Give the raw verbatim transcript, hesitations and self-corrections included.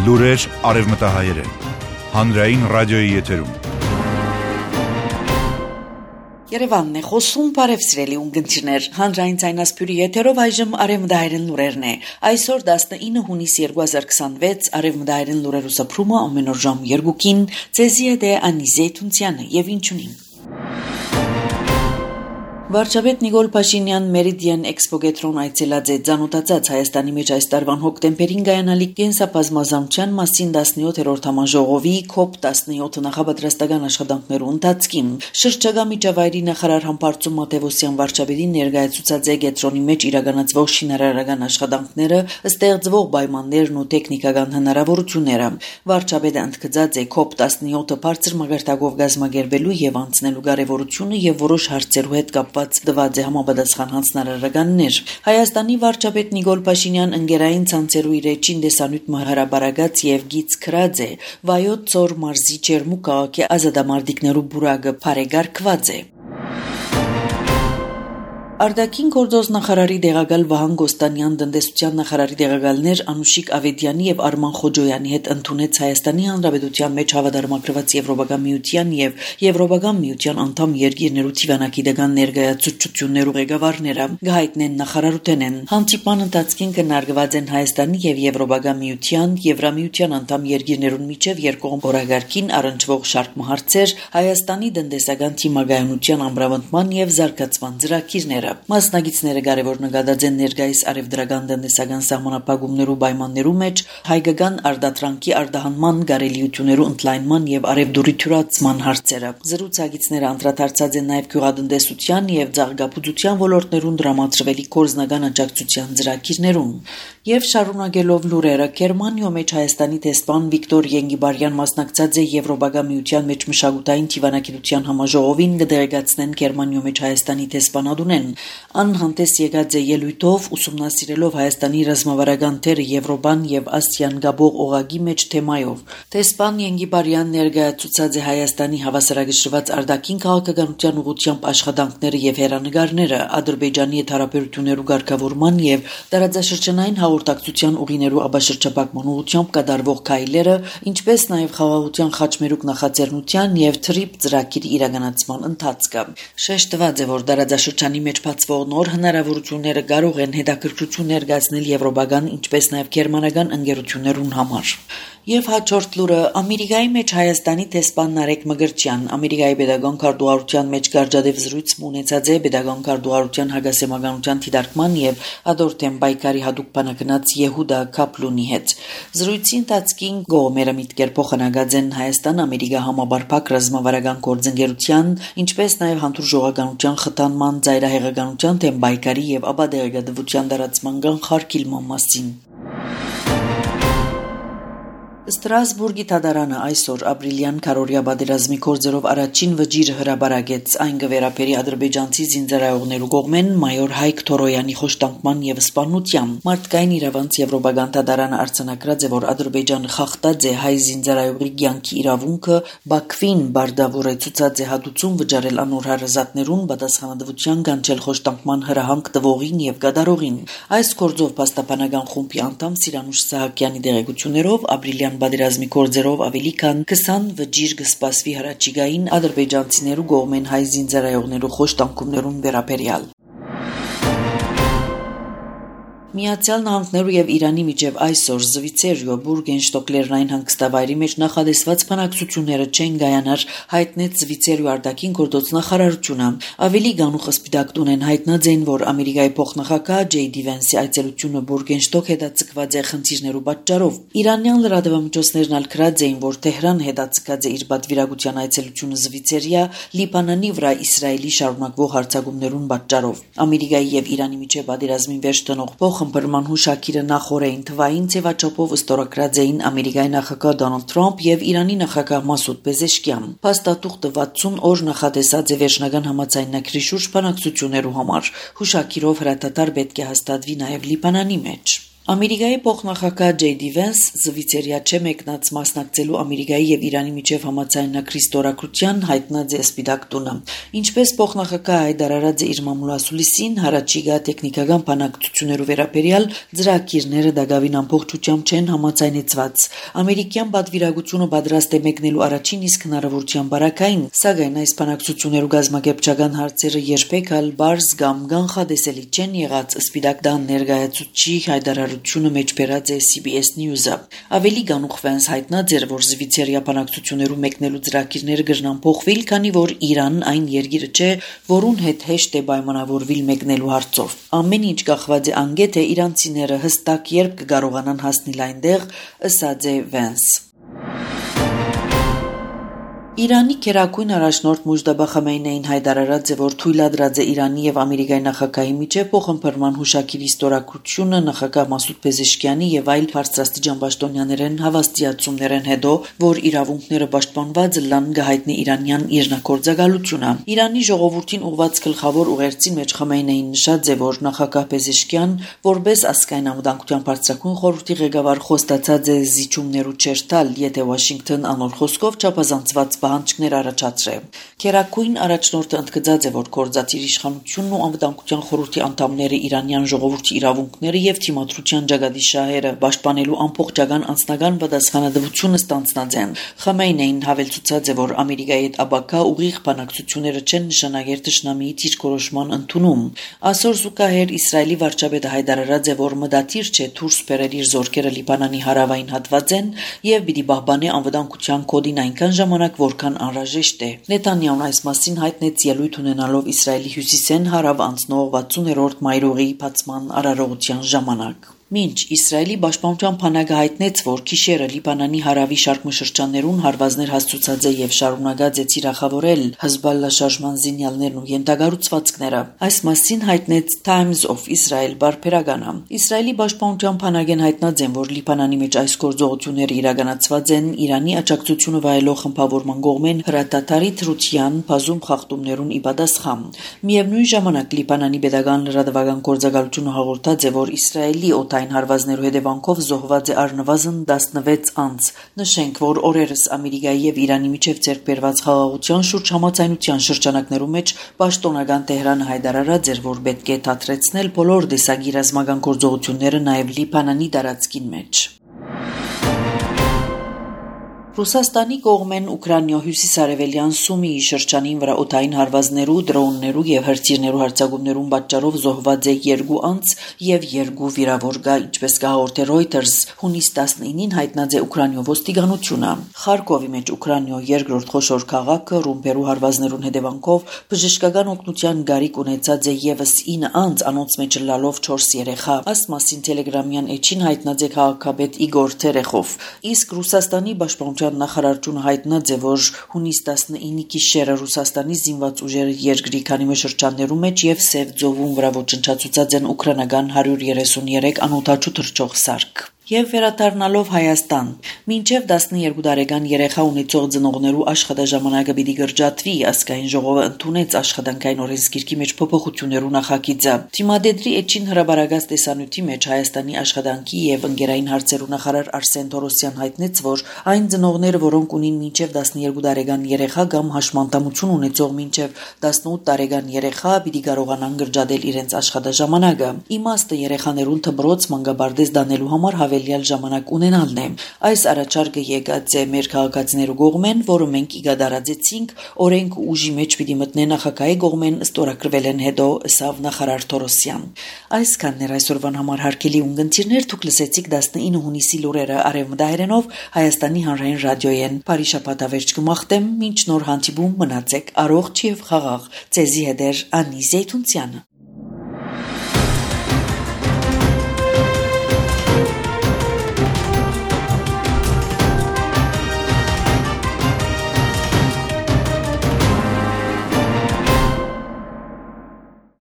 Լուրեր արևմտահայերեն, հանրային ռադիոյի եթերում։ Երևանն է խոսում, բարև սիրելի ունկնդիրներ, հանրային ցայնասպյուրի եթերով այժմ արևմտահայերեն լուրերն է։ Այսօր տասնինը հունիս երկու հազար քսանվեց, արևմտահայերեն լուրերու սփռումը ամեն օր ժամ երկուին, ցեզի է դե Անիզե Թունցյանը եւ ինչունին։ Վարչապետ Նիկոլ Փաշինյան Մերիդիան Էքսպոգետրոն այցելած է ծանոթացած Հայաստանի մեջ այս տարվան հոկտեմբերին գայանալիք կենսաբազմազանության մասին տասնյոթերորդ համաժողովի քոփ տասնյոթ նախապատրաստական աշխատանքներու ընթացքին շրջագա միջավայրի նախարար Համբարձում Մատևոսյան վարչապետին ներկայացուցած է գետրոնի մեջ իրականացվող շինարարական աշխատանքները, ստեղծվող պայմաններն ու տեխնիկական հնարավորությունները։ Վարչապետը ընդգծած է քոփ տասնյոթը բարձր մակարդակով գազմագերբելու եւ անցնելու կարեւորությունը եւ որոշ հարցերու հետ կապված դված է համապատասխան հանձնարարականներ։ Հայաստանի վարչապետ Նիկոլ Փաշինյան ընկերային ցանցերու իր էջին դեսանյութ հրաբարագած եւ գից քրած է Վայոց Ձոր մարզի Չերմու քաղաքի ազատամարտիկներու բուրագը բարեգարկված է։ Արտաքին գործոս նախարարի դեղակալ Վահան Գոստանյան, տնտեսության նախարարի դեղակալներ Անուշիկ Ավետյանի եւ Արման Խոջոյանի հետ ընդունեց Հայաստանի Հանրապետության մեջ հավատարմագրված Եվրոպական միության եւ Եվրոպական միության անդամ երկիրներու թիվանակիդական ներկայացուցչություններու ղեկավարները։ Գահիտնեն նախարարութենեն հանդիպման ընթացքին քննարկված են Հայաստանի եւ Եվրոպական միության, Եվրամիության անդամ երկիրներուն միջև երկկողմ օրագարկին առնչվող շարք հարցեր, Հայաստանի տնտեսական թիմագայունության ամբրավանդման եւ զարգացման ծրագիրները։ Մասնագետները կարևոր նկատած են ներկայիս արևդրական տնտեսական սահմանափակումներու պայմաններու մեջ հայկական արտադրանքի արտահանման կարելիություններու ընդլայնման եւ արևդուրի թյուրացման հարցերը։ Զրուցակիցները անդրադարձած են նաեւ գյուղատնտեսության եւ ծաղկապուծության ոլորտներուն դրամատրվելի կորզնական աջակցության ծրագիրներուն։ Եվ շարունակելով լուրերը, Գերմանիո մեջ Հայաստանի տեսփան Վիկտոր Ենգիբարյան մասնակցած է Եվրոպական միության մեջ մշակութային թիվանակետության համաժողովին կդերեկացնեն Գերմանիո մեջ Հայաստանի տեսփանադունեն։ Անհանտես եկած է ելույթով ուսումնասիրելով Հայաստանի ռազմավարական թերը Եվրոպան եւ Ասիան գաբող օղակի մեջ թեմայով։ Տեսփան Ենգիբարյան ներկայացուցած է Հայաստանի հավասարակշռված արտաքին քաղաքականության ուղղությամբ աշխատանքները եւ հերանեկարները, Ադրբեջանի հետ հարաբերություններու ղեկավարման եւ տարածաշրջանային հաղորդակցության ուղիներու աբաշրջապակման ուղղությամբ կատարվող քայլերը, ինչպես նաեւ խաղաղության խաչմերուկ նախաձեռնության եւ թրիփ ծրագիրի իրականացման ընթացքը։ Շեշտված է, որ տարածաշրջանի մեջ բացվող նոր հնարավորությունները կարող են հետաքրքրություն ներկայացնել եվրոպական, ինչպես նաև գերմանական ընկերություններուն համար։ Եվ հաջորդ լուրը Ամերիկայի մեջ Հայաստանի տեսփան Նարեկ Մգրտչյան Ամերիկայի pedagogan քարտուղարության մեջ գարժադեվ զրույց ունեցած է pedagogan քարտուղարության հագասեմականության դիտարկման եւ ադորտեն բայկարի հadoop բանակնած Եհուդա Կապլունի հետ։ Զրույցի ընթացքին գոմերը միտքեր փոխանակած են Հայաստան-Ամերիկա համաբարփակ ռազմավարական գործընկերության, ինչպես նաև հանդուրժողականության խթանման, ծայրահեղականության թեմ բայկարի եւ աբադեղեկատվության դարացման կանխարգելման մասին։ Ստրասբուրգի թադարանը այսօր ապրիլյան քարորիա պատերազմի կորձերով առաջին վճիռը հրաբարակեց, այն կվերապերի ադրբեջանցի զինծառայողներու կողմեն մայոր Հայկ Թորոյանի խոշտանկման եւ սպանությամբ։ Մարդկային իրավանց եվրոպական թադարանը արձանագրած է, որ Ադրբեջանը խախտած է հայ զինծառայողի կյանքի իրավունքը, Բաքվին բարդավոր է ցուցած է հատուցում վճարել անոր հարազատներուն պատասխանատվության կանչել խոշտանկման հրահանգ տվողին եւ կատարողին։ Այս կորձով փաստաբանական խումբի անդամ Սիրանուշ Սահակյանի դեղեցություններով ապրիլյան պատերազմի կորձերով ավելի քան քսան վճիռ կսպասվի հրաչիգային ադրբեջանցիներու կողմեն հայ զինծառայողներու խոշտանկումներուն վերաբերյալ։ Միացյալ Նահանգներու եւ Իրանի միջև այսօր Զվիցերիո Բուրգենշտոկ լեռնային հանգստավայրի մեջ նախադեсված բանակցությունները չեն գայանար, հայտնեց Զվիցերիո արտաքին գործոց նախարարությունը։ Ավելի գանուխ սպիտակ տուն են հայտնած են, որ Ամերիկայի փոխնախագահ Ջեյ Դի Վենսի այցելությունը Բուրգենշտոկ հետաձգված է խնդիրներու պատճառով։ Իրանյան լրատվամիջոցներն ալքրած էին, որ Թեհրան հետաձգած է իր պատվիրակության այցելությունը Զվիցերիա Լիբանանի վրա Իսրայելի շարունակվող հարձակումներուն պատճառով։ Ամերիկայի եւ Իրանի միջև պատերազմին վերջ տնող Խմբրման հուշակիրը նախորեն թվային ձևաչափով ստորագրած էին Ամերիկայի նախագահ Դոնալդ Թրամփ եւ Իրանի նախագահ Մասուդ Պեզեշկյան։ Փաստաթուղթը վաթսուն օր նախատեսած է վերջնական համաձայնագրի շուրջ բանակցություններու համար։ Հուշակիրով հրատատար պետք է հաստատվի նաեւ Լիբանանի մեջ։ Ամերիկայի փոխնախագահ Ջեյ Դի Վենս զվիցերիա չէ մեկնած մասնակցելու Ամերիկայի եւ Իրանի միջև համաձայնագրի ստորագրության հայտնած է Սպիտակ տունը։ Ինչպես փոխնախագահ Հայդար Արաձը իր մամուլասուլիսին հարաճիգա տեխնիկական բանակցություններով վերաբերյալ ծրագիրները դակավին ամբողջությամբ չեն համաձայնեցված։ Ամերիկյան պատվիրակությունը պատրաստ է մեկնելու առաջին իսկ հնարավորության բարակային, սակայն այս բանակցություններու գազམ་ակերպչական հարցերը երբեք ալ բարձ կամ կանխատեսելի չեն եղած Սպիտակ տան ներկայացուցիչ Հայդար մեջ բերած է Սի Բի Էս News-ը։ Ավելի գանուխ Վենս հայտնած էր, որ զվիցերիա բանակցություններու մեկնելու ծրագիրները կրնան փոխվել, քանի որ Իրանն այն երկիրը չէ, որուն հետ հեշտ է պայմանավորվել մեկնելու հարցով։ Ամեն ինչ կախված է անգետ է իրանցիները հստակ երբ կկարողանան հասնել այնտեղ, ըսած է Վենս։ Իրանի քերակույն առաջնորդ Մուժդաբա Խամեյնեին հայտարարած է, որ թույլատրած է Իրանի եւ Ամերիկայի նախագահի միջեւ փոխըմբռնման հուշագիրի ստորագրությունը նախագահ Մասուդ Պեզեշկյանի եւ այլ բարձրաստիճան պաշտոնյաներեն հավաստիացումներեն հետո, որ իրավունքները պաշտպանված լան գահիտնի իրանյան իրնակորձակալությունը։ Իրանի ժողովրդին ուղված գլխավոր ուղերձին մեջ Խամեյնեին նշած է, որ նախագահ Պեզեշկյան, որպես ազգային անվտանգության բարձրագույն խորհրդի ղեկավար, խոստացած է զիջումներու չերտալ, եթե Վաշինգտոն անոր խոսքով չափազանցված պահանջներ առաջացրե։ Քերակույն առաջնորդը ընդգծած է, որ կորզած իր իշխանությունն ու անվտանգության խորհրդի անդամները իրանյան ժողովրդի իրավունքները եւ թիմադրության ջագադիշահերը պաշտպանելու ամբողջական անձնական պատասխանատվությունը ստանձնած են։ Խամեյնեին հավելցուցած է, որ Ամերիկայի հետ աբակա ուղիղ բանակցությունները չեն նշանակեր թշնամիի դիրքորոշման ընդունում։ Այսօր զուգահեռ Իսրայելի վարչապետը հայտարարած է, որ մտադիր չէ դուրս բերել իր զորքերը Լիբանանի հարավային հատվածեն եւ պիտի պահպանի անվտանգության կոդին այնքան ժամանակ, որքան անհրաժեշտ է։ Նեթանյահուն այս մասին հայտնեց ելույթ ունենալով Իսրայելի հյուսիսեն հարավ անցնող վաթսուներորդ մայրուղի բացման արարողության ժամանակ։ Մինչ Իսրայելի պաշտպանության բանակը հայտնեց, որ գիշերը Լիբանանի հարավի շարքմշրջաններուն հարվածներ հասցուցած է եւ շարունակած է թիրախավորել Հեզբոլլա շարժման զինյալներն ու ենթակառուցվածքները, այս մասին հայտնեց Times of Israel բարբերականը։ Իսրայելի պաշտպանության բանակեն հայտնած են, որ Լիբանանի մեջ այս գործողությունները իրականացված են Իրանի աջակցությունը վայելող խմբավորման կողմեն հրատատարի թրության բազում խախտումներուն ի պատասխան։ Միևնույն ժամանակ Լիբանանի պետական լրատվական գործակալությունը հաղորդած է, որ Իսրայելի օտային հարվածներու հետևանքով զոհված է առնվազն տասնվեց անձ։ Նշենք, որ օրերս Ամերիկայի եւ Իրանի միջև ձեռք բերված խաղաղության շուրջ համաձայնության շրջանակներու մեջ պաշտոնական Տեհրանը հայտարարած էր, որ պետք է դադրեցնել բոլոր տեսակի ռազմական գործողությունները նաեւ Լիբանանի տարածքին մեջ։ Ռուսաստանի կողմեն Ուկրաինա հյուսիսարևելյան Սումիի շրջանին վրա օդային հարվածներու, դրոններու եւ հրթիռներու հարձակումներուն պատճառով զոհված է երկու անձ եւ երկու վիրավոր գա, ինչպես կհաղորդե Reuters, հունիս տասնինին հայտնած է Ուկրաինա ոստիկանությունը։ Խարկովի մեջ Ուկրաինա երկրորդ խոշոր քաղաքը ռումբերու հարվածներուն հետևանքով բժշկական օգնության գարիք ունեցած է եւս ինը անձ, անոնց մեջ լալով չորս երեխա։ Այս մասին Telegram-յան էջին հայտնած է քաղաքապետ Իգոր Թերեխով։ Իսկ Ռուսաստանի պաշտպանության նախարարությունը հայտնած է, որ հունիս տասնինի գիշերը Ռուսաստանի զինված ուժերը երկրի քանի շրջաններու մեջ եւ Սև ծովում վրա ոչնչացուցած են ուկրաինական հարյուր երեսունյերեք անօդաչու թռչող սարք։ Եվ վերադառնալով Հայաստան, մինչև տասնյոթ տարեկան երեխա ունեցող ծնողներու աշխատաժամանակը պիտի կրճատվի, ազգային ժողովը ընդունեց աշխատանքային օրենսգիրքի մեջ փոփոխություններու նախագիծը։ Թիմադեդրի էջին հրաբարակած տեսանյութի մեջ Հայաստանի աշխատանքի եւ ընկերային հարցերու նախարար Արսեն Թորոսյան հայտնեց, որ այն ծնողները, որոնք ունին մինչև տասնյոթ տարեկան երեխա կամ հաշմանդամություն ունեցող մինչև տասնութ տարեկան երեխա, պիտի կարողանան կրճատել իրենց աշխատաժամանակը։ Իմաստը երեխաներուն թմրոց մանկաբարձ դանելու համար հավելյալ ժամանակ ունենալն է։ Այս առաջարկը եկած է մեր քաղաքացիներու կողմեն, որը մենք իգադարացեցինք, օրենք ու ուժի մեջ պիտի մտնե նախագահի կողմեն ստորագրվել են հետո, ըսավ նախարար Թորոսյան։ Այսքանն էր այսօրվան համար հարգելի ունգընտիրներ, դուք լսեցիք տասնինը հունիսի լուրերը արևմտահայերենով Հայաստանի հանրային ռադիոյեն։ Բարի շաբաթ ավերջ կմաղթեմ, մինչ նոր հանդիպում մնացեք առողջ եւ խաղաղ։ Ձեզի հետ էր Անի Զեյթունցյանը։